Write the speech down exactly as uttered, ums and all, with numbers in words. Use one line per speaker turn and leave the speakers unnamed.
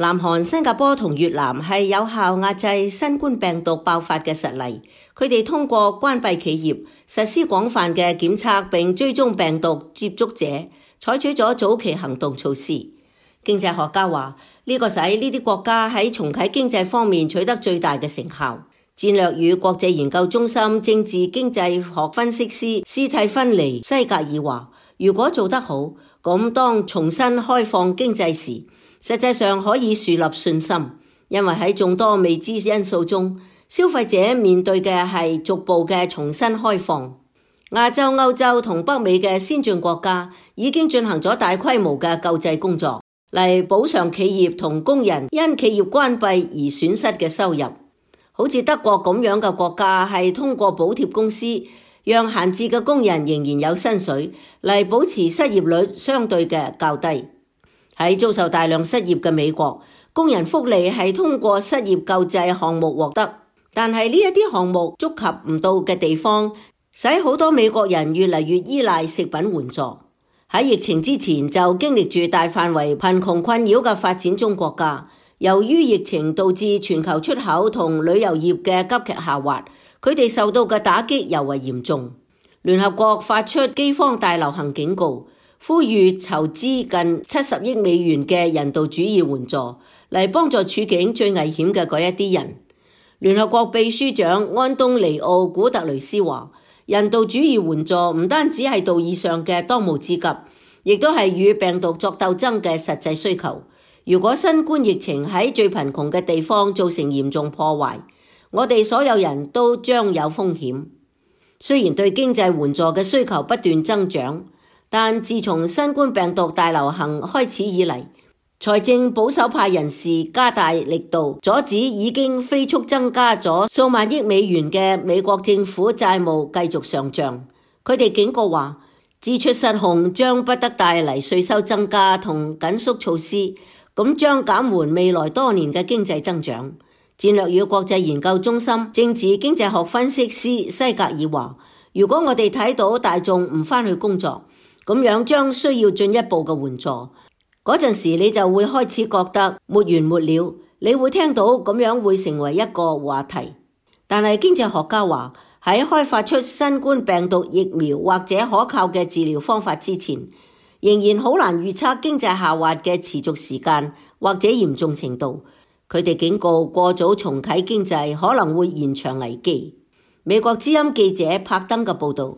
南韓、新加坡同越南係有效壓制新冠病毒爆發嘅實例，佢哋通過關閉企業、實施廣泛嘅檢測並追蹤病毒接觸者，採取咗早期行動措施。經濟學家話，呢個使呢啲國家喺重啟經濟方面取得最大嘅成效。戰略與國際研究中心政治經濟學分析師斯蒂芬尼西格爾話，如果做得好，咁當重新開放經濟時，實際上可以樹立信心，因為喺眾多未知因素中，消費者面對嘅係逐步嘅重新開放。亞洲、歐洲同北美嘅先進國家已經進行咗大規模嘅救濟工作，嚟補償企業同工人因企業關閉而損失嘅收入。好似德國咁樣嘅國家係通過補貼公司，讓閒置嘅工人仍然有薪水，嚟保持失業率相對嘅較低。喺遭受大量失業嘅美國，工人福利係通過失業救濟項目獲得，但係呢一啲項目觸及唔到嘅地方，使好多美國人越嚟越依賴食品援助。喺疫情之前就經歷住大範圍貧窮困擾嘅發展中國家，由於疫情導致全球出口同旅遊業嘅急劇下滑，佢哋受到嘅打擊尤為嚴重。聯合國發出饑荒大流行警告，呼籲籌資近七十億美元嘅人道主義援助，嚟幫助處境最危險嘅嗰一啲人。聯合國秘書長安東尼奧古特雷斯話，人道主義援助唔單止係道義上嘅當務之急，亦都係與病毒作鬥爭嘅實際需求。如果新冠疫情喺最貧窮嘅地方造成嚴重破壞，我哋所有人都將有風險。雖然對經濟援助嘅需求不斷增長，但自從新冠病毒大流行開始以嚟，財政保守派人士加大力度阻止已經飛速增加咗數萬億美元嘅美國政府債務繼續上漲。佢哋警告話，支出失控將不得帶嚟稅收增加同緊縮措施，咁將減緩未來多年嘅經濟增長。戰略與國際研究中心政治經濟學分析師西格爾話，如果我哋睇到大眾唔返去工作，咁樣將需要進一步嘅援助，嗰陣時你就會開始覺得沒完沒了，你會聽到咁樣會成為一個話題。但係經濟學家話，喺開發出新冠病毒疫苗或者可靠嘅治療方法之前，仍然好難預測經濟下滑嘅持續時間或者嚴重程度。佢哋警告，過早重啟經濟可能會延長危機。美國之音記者柏登嘅報道。